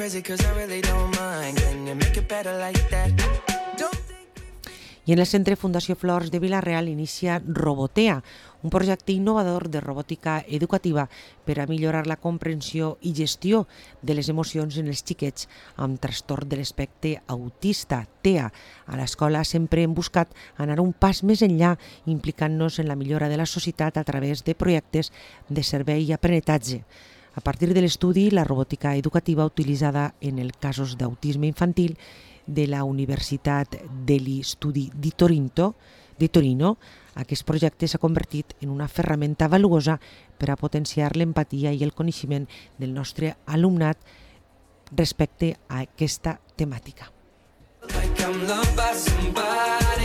crazy 'cause I really don't mind. Can you make it better like that? I en el Centre Fundació Flors de Vila-real inicia Robotea, un projecte innovador de robòtica educativa per a millorar la comprensió i gestió de les emocions en els xiquets amb trastorn de l'espectre autista, TEA. A l'escola sempre hem buscat anar un pas més enllà, implicant-nos en la millora de la societat a través de projectes de servei i aprenentatge. A partir de l'estudi, la robòtica educativa utilitzada en els casos d'autisme infantil de la Universitat degli Studi di Torino, aquest projecte s'ha convertit en una ferramenta valuosa per a potenciar l'empatia i el coneixement del nostre alumnat respecte a aquesta temàtica. Like I'm loved by somebody.